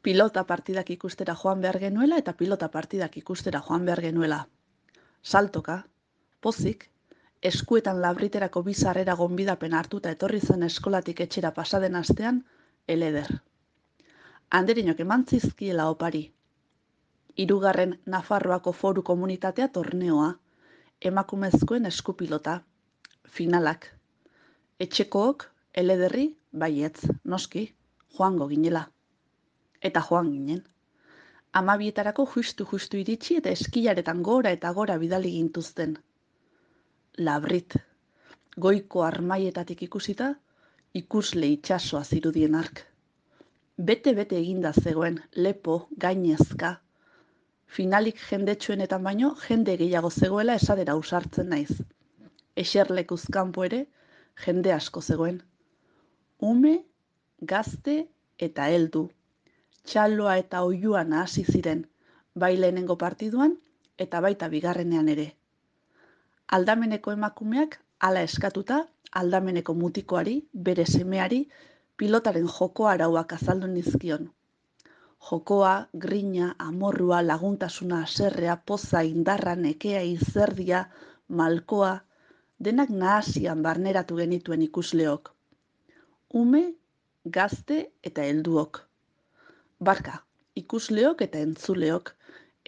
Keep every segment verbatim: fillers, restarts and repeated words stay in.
Pilota partidak ikustera joan behar genuela eta pilota partidak ikustera joan behar genuela. Saltoka, pozik, eskuetan labriterako bi sarrera gonbidapen hartuta etorri zen eskolatik etxera pasaden astean, eleder. Handerinok eman zizkiela opari. Hirugarren Nafarroako Foru Komunitatea torneoa, emakumezkoen eskupilota, finalak. Etxekook, elederri, baietz, noski, joango ginela. Eta joan ginen. Amabietarako justu-justu iritsi eta eskilaretan gora eta gora bidali gintuzten. Labrit, goiko armaietatik ikusita, ikusle itsasoa zirudien ark. Bete-bete eginda zegoen, lepo, gainezka. Finalik jendetsuenetan baino, jende gehiago zegoela esadera ausartzen naiz. Eserlekuz kanpo ere, jende asko zegoen. Ume, gazte eta heldu. Txaloa eta oihuan hasi ziren, bai lehenengo partiduan eta baita bigarrenean ere. Aldameneko emakumeak hala eskatuta, aldameneko mutikoari, bere semeari, pilotaren joko arauak azaldu nizkion. Jokoa, grina, amorrua, laguntasuna, haserrea, poza, indarra, nekea, izerdia, malkoa, denak nahasian barneratu genituen ikusleok. Ume, gazte eta helduok. Barka, ikusleok eta entzuleok,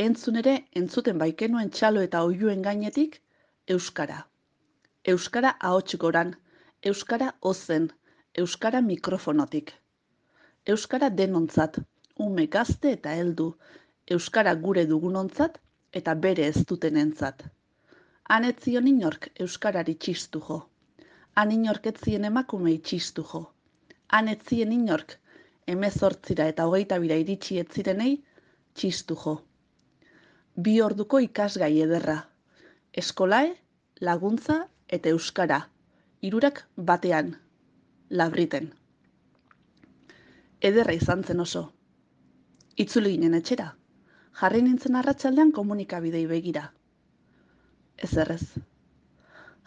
entzun ere entzuten baikenuen txalo eta oihuen gainetik, euskara. Euskara ahots goran, euskara ozen, euskara mikrofonotik. Euskara denontzat, ume gazte eta heldu, euskara gure dugunontzat eta bere ez dutenentzat. Han ez zion inork euskarari txistu jo. Han inork ez zien emakumei txistu jo. Han ez zien inork hemezortzira eta hogeita bira iritsi ez zirenei txistu jo. Bi orduko ikasgai ederra. Eskolae, laguntza eta euskara. Hirurak batean, labriten. Ederra izan zen oso. Itzuli ginen etxera. Jarri nintzen arratsaldean komunikabidei begira. Ez errez.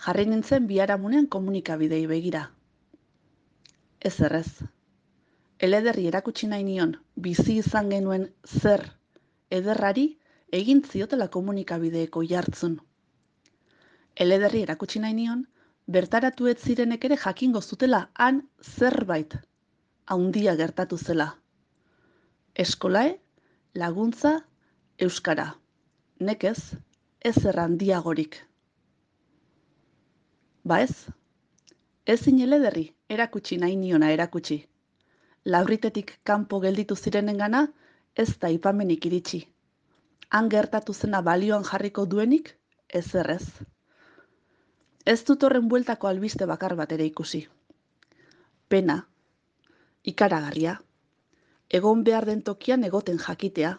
Jarri nintzen biharamunean komunikabidei begira. Ez errez. Elederri erakutsi nahi nion, bizi izan genuen zer ederrari egin ziotela komunikabideeko jartzun. Elederri erakutsi nahi nion, bertaratu ez zirenek ere jakingo zutela han zerbait haundia gertatu zela. Eskolae, laguntza, euskara. Nekez, ez errandiagorik. Ba ez? Ezin elederri erakutsi nahi niona erakutsi. Labritetik kanpo gelditu zirenengana ez da ipamenik iritsi. Han gertatu zena balioan jarriko duenik, ez errez. Ez dut horren bueltako albiste bakar bat ere ikusi. Pena, ikaragarria, egon behar den tokian egoten jakitea,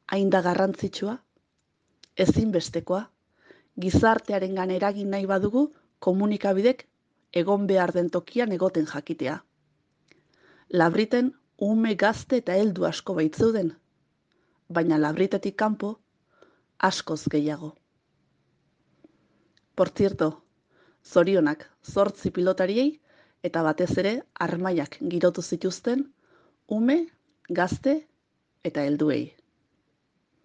hain da garrantzitsua, ezinbestekoa, gizartearengan eragin nahi badugu komunikabidek egon behar den tokian egoten jakitea. Labriten ume gazte eta heldu asko baitzeuden, baina labritetik kanpo askoz gehiago. Por cierto, zorionak zortzi pilotariei eta batez ere armaiak girotu zituzten ume, gazte eta helduei.